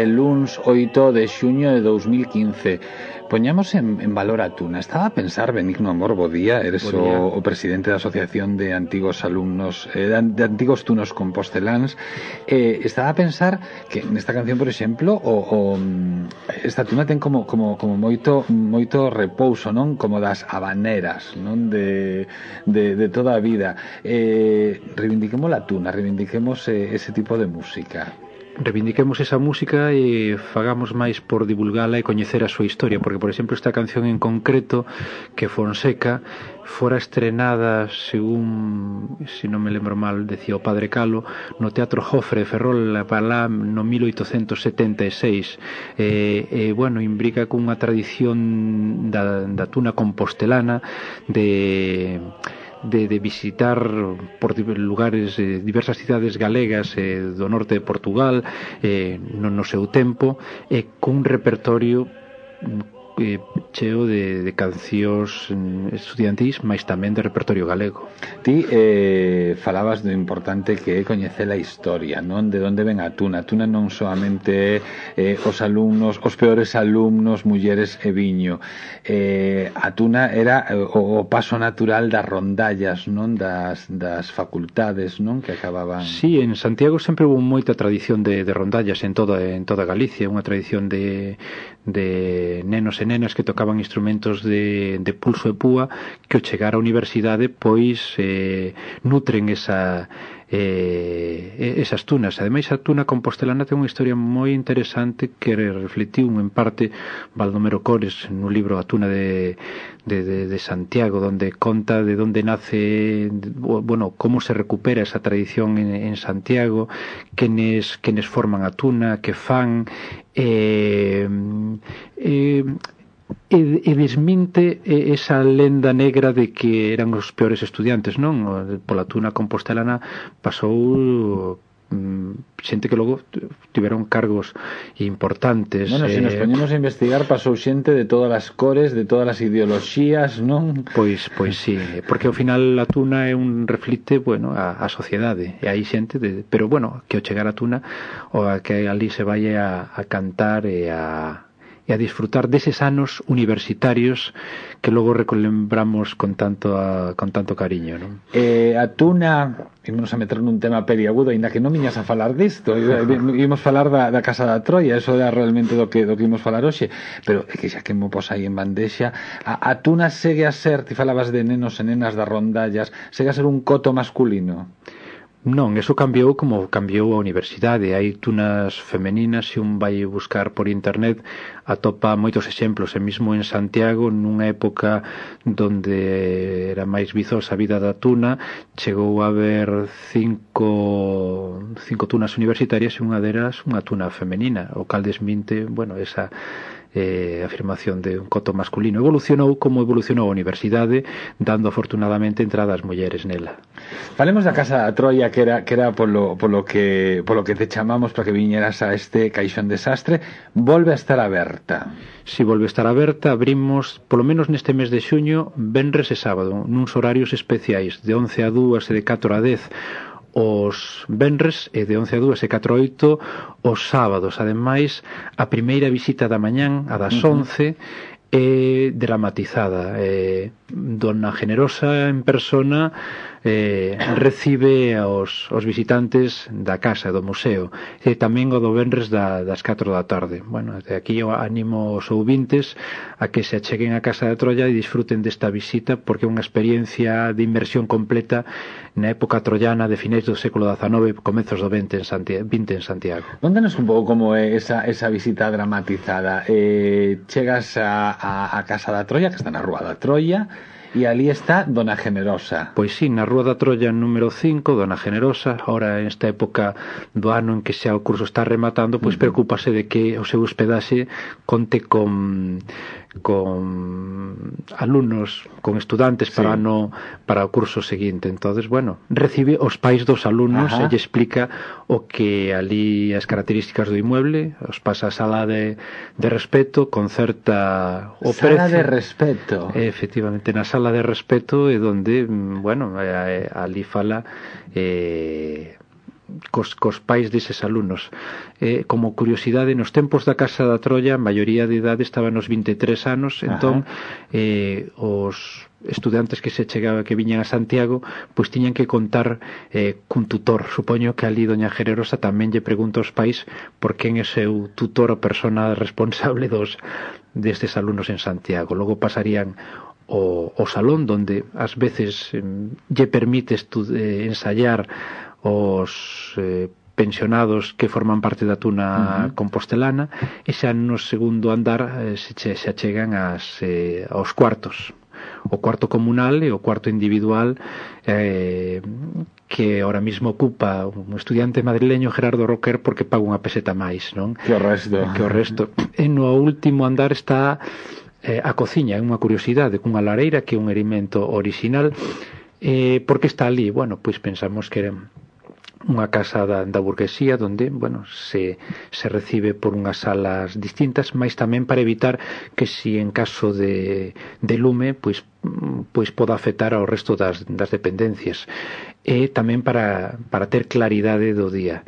luns 8 de xuño de 2015. Poñamos en valor a Tuna. Estaba a pensar, Benigno Amor, bo día, eres o presidente da Asociación de Antigos Alumnos de Antigos Tunos Composteláns. Estaba a pensar que nesta canción, por exemplo, esta Tuna ten como moito repouso, non? Como das habaneras, non? De toda a vida. Reivindiquemos la Tuna, reivindiquemos ese tipo de música. Reivindiquemos esa música e fagamos máis por divulgala e coñecer a súa historia, porque, por exemplo, esta canción en concreto, que Fonseca fora estrenada, según, se non me lembro mal, decía o Padre Calo, no Teatro Jofre de Ferrol para lá no 1876. Bueno, imbrica cunha tradición da Tuna compostelana de visitar por lugares, diversas cidades galegas do norte de Portugal no seu tempo, cun repertorio cheo de cancións estudiantís, mas tamén de repertorio galego. Ti falabas do importante que é coñecer a historia, non? De onde ven a Tuna. A Tuna non solamente os alumnos, os peores alumnos, mulleres e viño. A Tuna era o paso natural das rondallas, non? Das facultades, non? Que acababan... Sí, en Santiago sempre houve moita tradición de rondallas en toda Galicia, unha tradición de nenos e nenas que tocaban instrumentos de pulso e púa que ao chegar á universidade pois nutren esas tunas. Ademais, a Tuna compostelana ten unha historia moi interesante que reflectiu en parte Baldomero Cores no libro A Tuna de Santiago, donde conta de onde nace, bueno, como se recupera esa tradición en Santiago, quenes forman a Tuna, que fan, e desminte esa lenda negra de que eran os peores estudiantes, non? Pola Tuna compostelana pasou xente que logo tiveron cargos importantes. Bueno, se nos poñemos a investigar, pasou xente de todas as cores, de todas as ideoloxías, non? Pois sí, porque ao final a Tuna é un reflite, bueno, a sociedade, e hai xente pero bueno, que ao chegar a Tuna ou a que ali se vai a cantar e a disfrutar deses anos universitarios que logo relembramos con tanto cariño, non? A Tuna, ímonos a meter nun tema periagudo, ainda que non viñas a falar disto, ímos falar da Casa da Troia, eso era realmente do que ímos falar hoxe, pero é que xa que mo pos aí en bandexa, a Tuna segue a ser, ti falabas de nenos e nenas das rondallas, segue a ser un coto masculino? Non, eso cambiou como cambiou a universidade. Hai tunas femeninas, se un vai buscar por internet atopa moitos exemplos, e mesmo en Santiago, nunha época donde era máis vizosa a vida da Tuna, chegou a haber cinco tunas universitarias e unha delas unha tuna femenina, o cal desminte, bueno, esa afirmación de un coto masculino. Evolucionou como evolucionou a universidade, dando afortunadamente entrada ás mulleres nela. Falemos da Casa da Troia, que era polo que te chamamos para que viñeras a este caixón desastre. Volve a estar aberta. Si volve a estar aberta, abrimos polo menos neste mes de xuño, venres e sábado, nuns horarios especiais de 11 a 2 e de 4 a 10 os venres e de 11 a 2 e 4 a 8 os sábados. Ademais, a primeira visita da mañán, a das 11, é dramatizada. Dona Generosa en persona recibe aos visitantes da casa, do museo, e tamén o do venres das 4 da tarde. Bueno, de aquí eu animo os ouvintes a que se acheguen a Casa da Troia e disfruten desta visita, porque é unha experiencia de inmersión completa na época troiana de finais do século XIX, comezos do XX en Santiago. Contanos un pouco como é esa visita dramatizada. Chegas a Casa da Troia, que está na Rúa da Troia, e ali está Dona Generosa. Pois sí, na Rúa da Troia número 5, Dona Generosa. Ahora, en esta época do ano en que xa o curso está rematando, pois preocúpase de que o seu hospedaxe conte con alumnos, con estudantes para o curso seguinte. Entonces, bueno, recibe os pais dos alumnos e lle explica o que ali, as características do inmueble, os pasa a sala de respeto, concerta o precio. Sala de respeto. Efectivamente, na sala de respeto é donde, bueno, ali fala cos pais deses alumnos. Como curiosidade, nos tempos da Casa da Troia, a maioría de idade estaba nos 23 anos, entón os estudantes que viñan a Santiago pois tiñan que contar cun tutor. Supoño que ali doña Generosa tamén lle pregunta aos pais por quen é seu tutor ou persona responsable destes alumnos en Santiago. Logo pasarían o salón donde ás veces lle permites ensayar os pensionados que forman parte da Tuna compostelana, e xa no segundo andar se achegan aos cuartos, o cuarto comunal e o cuarto individual, que ahora mismo ocupa un estudiante madrileño, Gerardo Roquer, porque paga unha peseta máis, non? Que o resto. E no último andar está a cociña, é unha curiosidade, cunha lareira que é un elemento original. Porque está ali? Bueno, pois pensamos que era unha casa da burguesía onde, bueno, se recibe por unhas salas distintas, mas tamén para evitar que si en caso de lume pois poda afectar ao resto das dependencias, e tamén para ter claridade do día.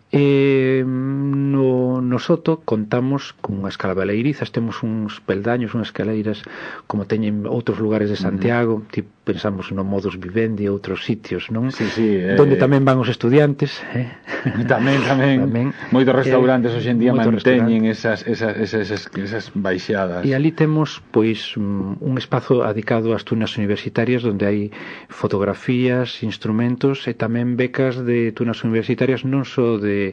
No soto contamos con unhas escalaleirizas, temos uns peldaños, unhas escaleiras como teñen outros lugares de Santiago, tipo, pensamos no modus vivendi e outros sitios, non? Sí, donde tamén van os estudiantes, tamén. Moitos restaurantes hoxe en día manteñen esas baixadas. E ali temos pois un espazo dedicado ás tunas universitarias onde hai fotografías, instrumentos e tamén becas de tunas universitarias, non só de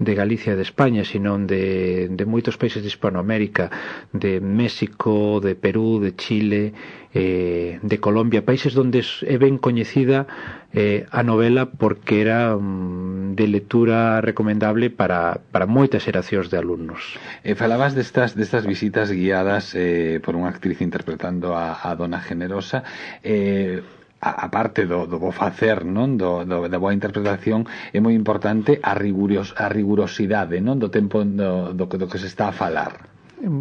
Galicia e de España, sino de moitos países de Hispanoamérica, de México, de Perú, de Chile, de Colombia, países onde é ben coñecida a novela porque era de lectura recomendable para moitas xeracións de alumnos. Falabas destas visitas guiadas por unha actriz interpretando a Dona Generosa. A parte do bo facer, non, da boa interpretación, é moi importante a rigurosidade, non, do tempo do que se está a falar.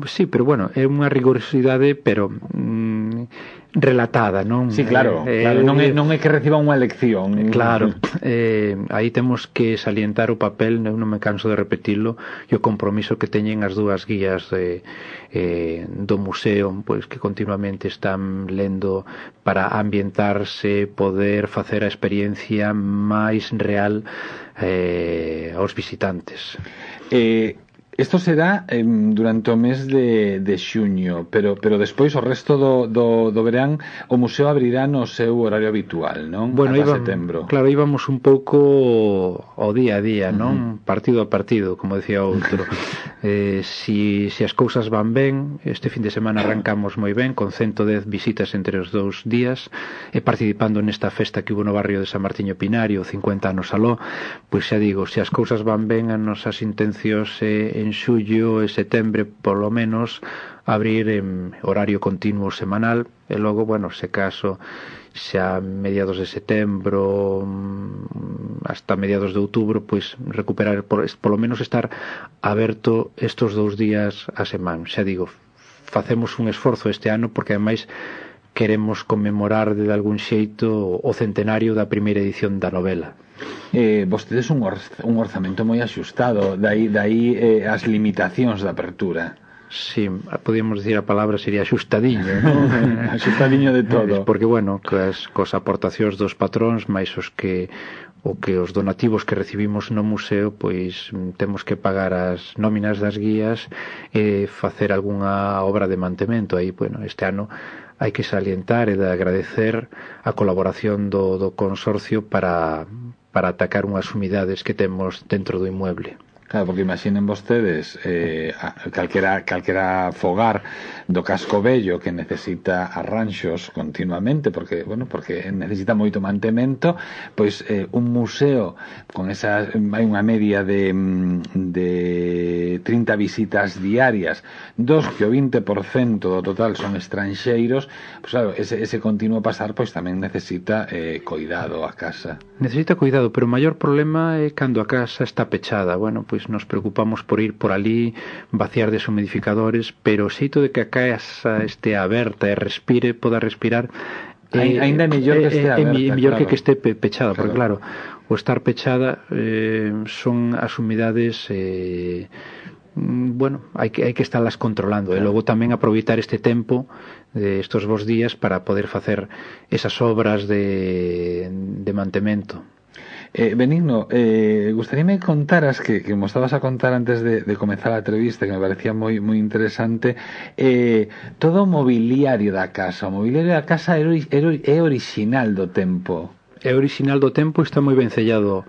Sí, pero bueno, é unha rigorosidade pero relatada, non? Sí, claro, non é que reciba unha lección. Claro, aí temos que salientar o papel, eu non me canso de repetilo, e o compromiso que teñen as dúas guías do museo, pois que continuamente están lendo para ambientarse, poder facer a experiencia máis real aos visitantes. Isto será durante o mes de xuño, pero despois o resto do verán o museo abrirá no seu horario habitual, non? Bueno, ata setembro. Claro, íbamos un pouco ao día a día, non? Partido a partido, como decía outro. Si as cousas van ben, este fin de semana arrancamos moi ben, con 110 visitas entre os 2 días, e participando nesta festa que hubo no barrio de San Martiño Pinario, 50 anos aló, pois xa digo, se as cousas van ben, as nosas intencións en xullo e setembro polo menos abrir en horario continuo semanal, e logo, bueno, se caso xa mediados de setembro hasta mediados de outubro, pois recuperar polo menos estar aberto estos 2 días a semana. Xa digo, facemos un esforzo este ano porque ademais queremos conmemorar de algún xeito o centenario da primeira edición da novela. Vostedes un orzamento moi axustado, dai as limitacións da apertura. Sí, podíamos decir a palabra sería axustadiño, non? Axustadiño de todo. Porque, bueno, cos aportacións dos patróns, máis os donativos que recibimos no museo, pois temos que pagar as nóminas das guías e facer algunha obra de mantemento. Aí, bueno, este ano hai que salientar e de agradecer a colaboración do consorcio para atacar unhas umidades que temos dentro do inmueble. Claro, porque imaginen vostedes calquera fogar do Casco Vello que necesita arranxos continuamente porque necesita moito mantemento, pois un museo con hai unha media de 30 visitas diarias, dos que o 20% do total son estranxeiros, pois claro, ese continuo pasar pois tamén necesita cuidado a casa. Necesita cuidado, pero o maior problema é cando a casa está pechada. Bueno, pois nos preocupamos por ir por ali, vaciar deshumidificadores, pero o xeito de que a casa este aberta e poda respirar, ainda mellor que este aberta, mellor que este pechada, porque claro, o estar pechada son as humidades hai que estarlas controlando, e logo tamén aproveitar este tempo de estos vos días para poder facer esas obras de mantemento. Benigno, gustaríame contaras que como estabas a contar antes de comenzar a entrevista, que me parecía moi interesante, todo o mobiliario da casa. O mobiliario da casa é orixinal do tempo. É orixinal do tempo, está moi ben sellado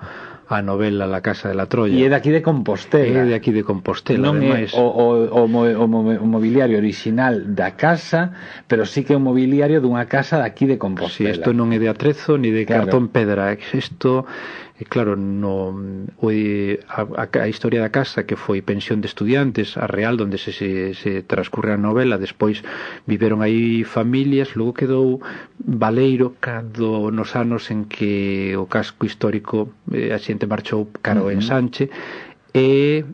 a novela La Casa de la Troya. E é de aquí de Compostela. É de aquí de Compostela, non ademais. É o mobiliario original da casa, pero sí que é un mobiliario dunha casa de aquí de Compostela. Si, isto non é de atrezo ni de cartón pedra. Isto, claro, a historia da casa, que foi pensión de estudiantes, a Real, onde se transcurre a novela, despois viveron aí familias, logo quedou baleiro cando nos anos en que o casco histórico a xente marchou cara ao ensanche, e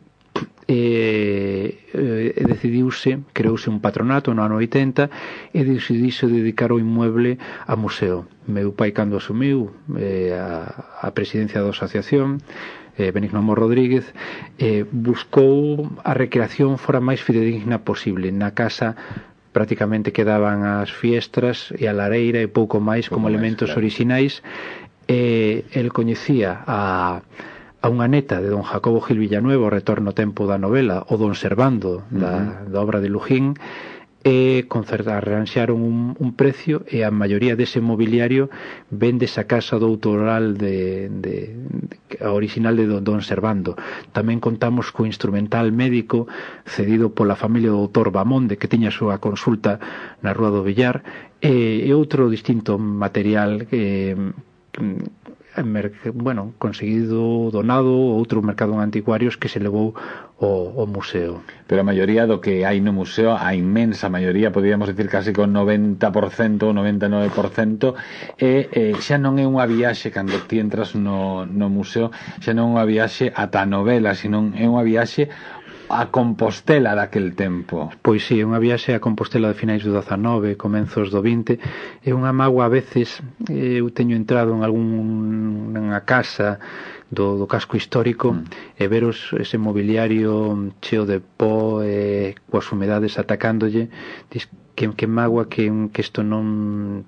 creouse un patronato no ano 80 e decidiuse dedicar o inmueble a museo. Meu pai, cando asumiu a presidencia da asociación, Benigno Amor Rodríguez, buscou a recreación fora máis fidedigna posible. Na casa prácticamente quedaban as fiestras e a lareira e pouco máis como elementos orixinais. El coñecía a unha neta de don Jacobo Gil Villanueva, o retorno tempo da novela, o don Servando da obra de Lujín, e arranxaron un precio, e a maioría dese mobiliario vende esa casa doutoral original de don Servando. Tamén contamos co instrumental médico cedido pola familia do doutor Bamonde, que tiña a súa consulta na Rúa do Villar, e outro distinto material conseguido donado outro mercado en anticuarios que se levou ao museo. Pero a maioría do que hai no museo, a inmensa maioría, podríamos decir casi con 90% ou 99%, xa non é unha viaxe cando ti entras no museo, xa non é unha viaxe ata a novela, sino é unha viaxe a Compostela daquel tempo. Pois si, é unha viaxe a Compostela de finais do 19, comenzos do 20. É unha mágoa a veces. Eu teño entrado en algunha casa do casco histórico e veros ese mobiliario cheo de pó e coas humedades atacándolle. Diz que mágoa que isto non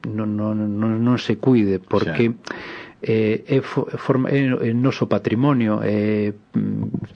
se cuide, porque é noso patrimonio,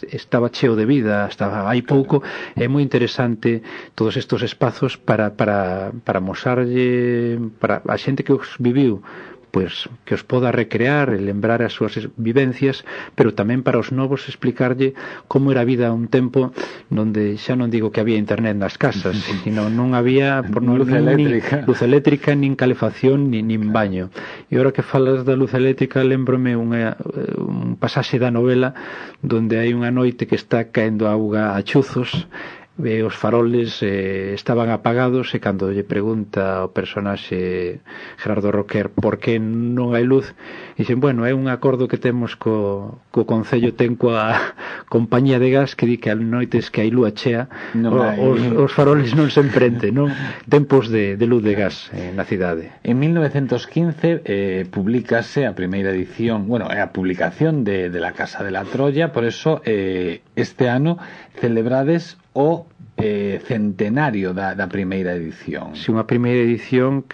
estaba cheo de vida hasta hai pouco. É moi interesante todos estes espazos para mosarlle para a xente que os viviu, pois que os poda recrear e lembrar as súas vivencias, pero tamén para os novos explicarlle como era a vida un tempo onde xa non digo que había internet nas casas, sino non había luz eléctrica, nin calefacción, nin baño. E agora que falas da luz eléctrica, lembrome un pasaxe da novela onde hai unha noite que está caendo auga a chuzos, os faroles estaban apagados, e cando lle pregunta ao personaxe Gerardo Roquer por que non hai luz, dixen, é un acordo que temos co Concello, ten coa compañía de gas, que di que a noites que hai lúa chea os faroles non se emprenden, non? Tempos de luz de gas na cidade. En 1915 publicase a primeira edición, é a publicación de La Casa de la Troya. Por eso este ano celebrades o centenario da primeira edición. Si, unha primeira edición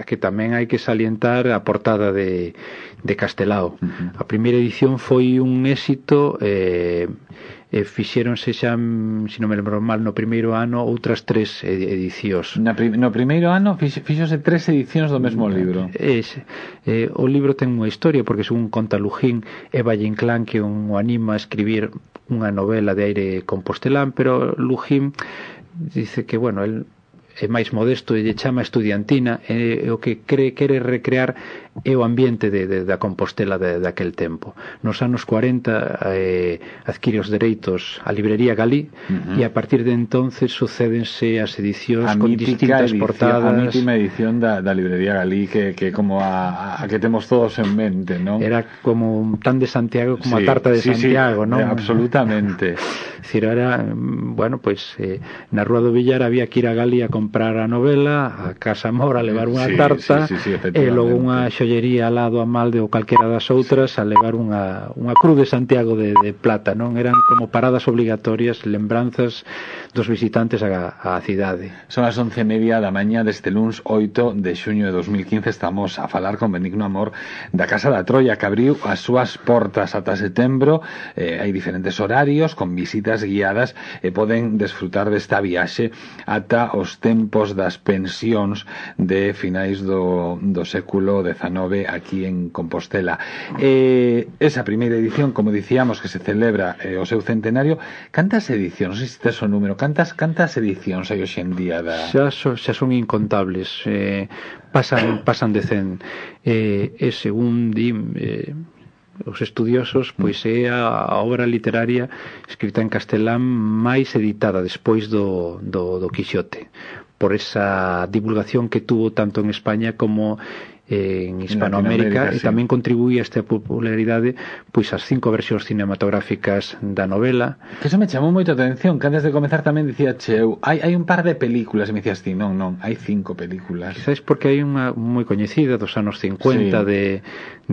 que tamén hai que salientar a portada de Castelao. A primeira edición foi un éxito, fixéronse xa, se non me lembro mal, no primeiro ano outras 3 edicións. No primeiro ano fixose 3 edicións do mesmo libro. O libro ten unha historia, porque según conta Lujín, é Valle Inclán que o anima a escribir unha novela de aire compostelán, pero Lujín dice que, el é máis modesto e lle chama estudiantina, e o que quere recrear é o ambiente da Compostela daquel tempo. Nos anos 40 adquire os dereitos a librería Galí, e a partir de entonces sucédense as edicións con distintas portadas. A mítima edición da librería Galí, que como a que temos todos en mente, non? Era como un tan de Santiago como a tarta de Santiago, non? Absolutamente. Era, na Rúa do Villar había que ir a Galí a comprar comprar a novela, a Casa Mora a levar unha tarta, e logo unha xollería al lado a Malde ou calquera das outras a levar unha cruz de Santiago de plata, non? Eran como paradas obligatorias, lembranzas dos visitantes á cidade. Son as 11:30 da mañá deste luns 8 de xuño de 2015. Estamos a falar con Benigno Amor da Casa da Troia, que abriu as súas portas ata setembro. Hai diferentes horarios con visitas guiadas e poden desfrutar desta viaxe ata os tempos das pensións de finais do século XIX aquí en Compostela. Esa primeira edición, como dicíamos, que se celebra o seu centenario, cantas edicións, non sei se tes o número, cantas edicións hai hoxe en día da... Xa son incontables, pasan de 100, e según os estudiosos, pois é a obra literaria escrita en castelán máis editada despois do Quixote, por esa divulgación que tuvo tanto en España como en Hispanoamérica, e tamén contribuía a esta popularidade pois as 5 versións cinematográficas da novela. Que eso me chamou moito a atención, que antes de comezar tamén dicía eu, hai un par de películas, e me dicías ti, non, hai 5 películas. Quizás porque hai unha moi coñecida dos anos 50 de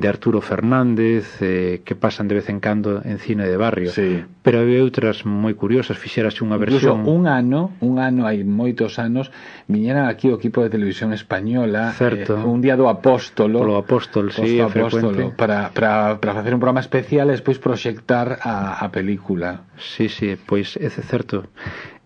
Arturo Fernández, que pasan de vez en cando en cine de barrio, pero hai outras moi curiosas. Fixérase unha versión, incluso un ano hai moitos anos viñeran aquí o equipo de televisión española, un día do Apóstolo, sí, frecuente, para facer un programa especial e despois proxectar a película. Sí, pois é certo.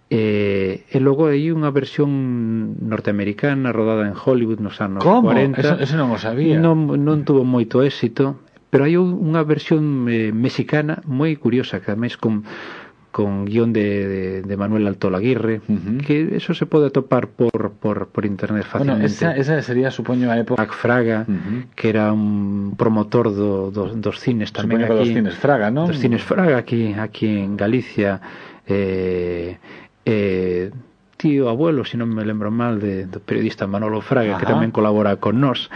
E logo hai unha versión norteamericana rodada en Hollywood nos anos 40. Eso non o sabía. Non tuvo moito éxito, pero hai unha versión mexicana moi curiosa, que ademais con guión de Manuel Altol Aguirre, que eso se pode atopar por internet fácilmente. Bueno, esa sería, supoño, a época... Pac Fraga, que era un promotor dos cines tamén aquí. Supoño que dos cines Fraga, non? Dos cines Fraga aquí en Galicia. Tío abuelo, se non me lembro mal, do periodista Manolo Fraga, que tamén colabora con nós.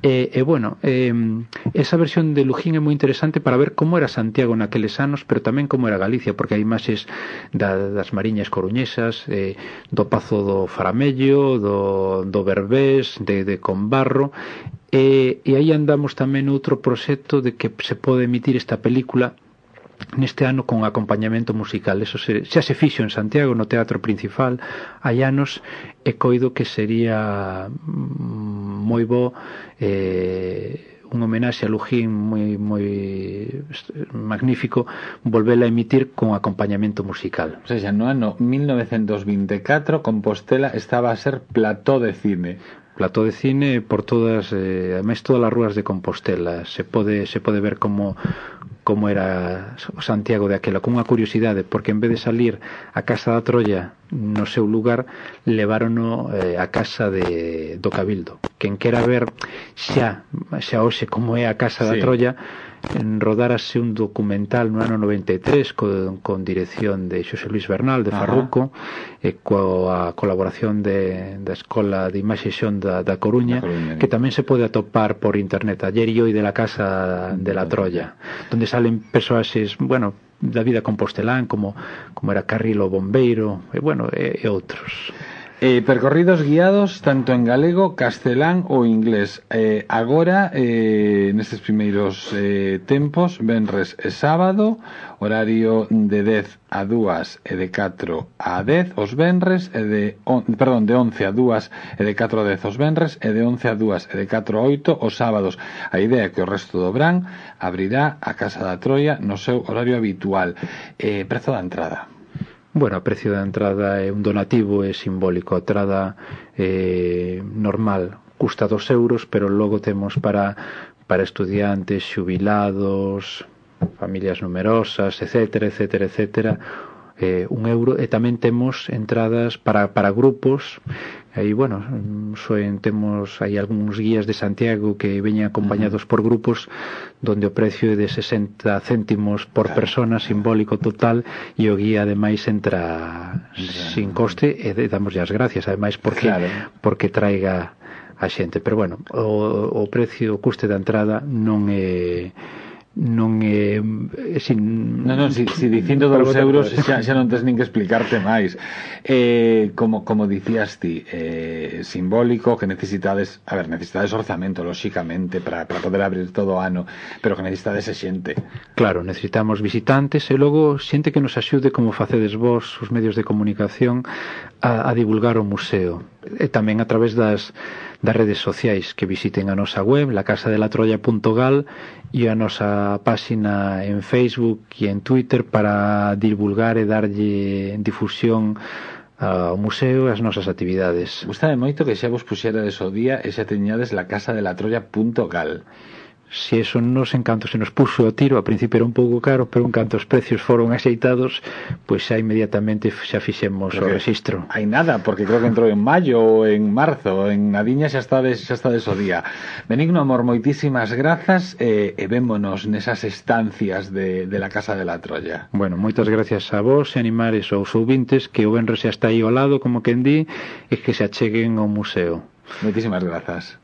Esa versión de Lujín é moi interesante para ver como era Santiago naqueles anos, pero tamén como era Galicia, porque hai imaxes das mariñas coruñesas, do Pazo do Faramello, do Berbés, de Conbarro, e aí andamos tamén outro proxecto de que se pode emitir esta película neste ano con acompañamento musical. Eso xa se fixo en Santiago no Teatro Principal hai anos, e coido que sería moi bo, un homenaxe a Lujín moi magnífico, volvela a emitir con acompañamento musical. O sea, no ano 1924 Compostela estaba a ser plató de cine por todas, ademais todas as rúas de Compostela. Se pode ver como era o Santiago de aquela, con unha curiosidade, porque en vez de salir a Casa da Troia no seu lugar, levárono a casa do Cabildo. Quen quera ver xa hoxe como é a Casa da Troia, rodárase un documental no ano 93 con dirección de Xosé Luis Bernal de Farruco, e coa colaboración da Escola de Imaxe e Xón da Coruña, que tamén se pode atopar por internet, Ayer y hoy de la Casa de la Troya, donde salen persoaxes, da vida compostelán, como era Carrilo Bombeiro, e outros. Percorridos guiados tanto en galego, castelán ou inglés. Agora, nestes primeiros tempos, venres e sábado, horario de 10 a 2 e de 4 a 10 os venres, de 11 a 2 e de 4 a 10 os venres, e de 11 a 2 e de 4 a 8 os sábados. A idea é que o resto do verán abrirá a Casa da Troia no seu horario habitual. Prezo da entrada. O precio da entrada é un donativo, é simbólico. A entrada normal custa 2 euros, pero logo temos para estudiantes, xubilados, familias numerosas, etcétera, 1 euro, e tamén temos entradas para grupos. Aí, temos aí algúns guías de Santiago que veñen acompañados por grupos, donde o precio é de 60 céntimos por persona, simbólico total, e o guía ademais entra sin coste, e damos as gracias ademais porque traiga a xente. Pero o precio, o custe da entrada non é non é si dicindo 2 euros xa non tes nin que explicarte máis. Como dicías ti, simbólico, que necesitades orzamento, lóxicamente, para poder abrir todo o ano, pero que necesitades xente. Claro, necesitamos visitantes e logo xente que nos axude, como facedes vos, os medios de comunicación, a divulgar o museo, e tamén a través das redes sociais, que visiten a nosa web, lacasadelatroya.gal, e a nosa páxina en Facebook e en Twitter para divulgar e darlle difusión ao museo e as nosas actividades. Gústame moito que xa vos puxerades o día e xa teñades lacasadelatroya.gal. Si eso nos encanto se nos puxo o tiro, a principio era un pouco caro, pero en canto os precios foron axeitados, pois xa inmediatamente xa fixemos o rexistro. Hai nada, porque creo que entrou en maio ou en marzo, en Nadiña xa estades o día. Benigno Amor, moitísimas grazas e vémonos nesas estancias de la Casa de la Troya. Bueno, moitas gracias a vos e animares aos ouvintes que o venres xa está aí ao lado, como quen di, e que se acheguen ao museo. Moitísimas grazas.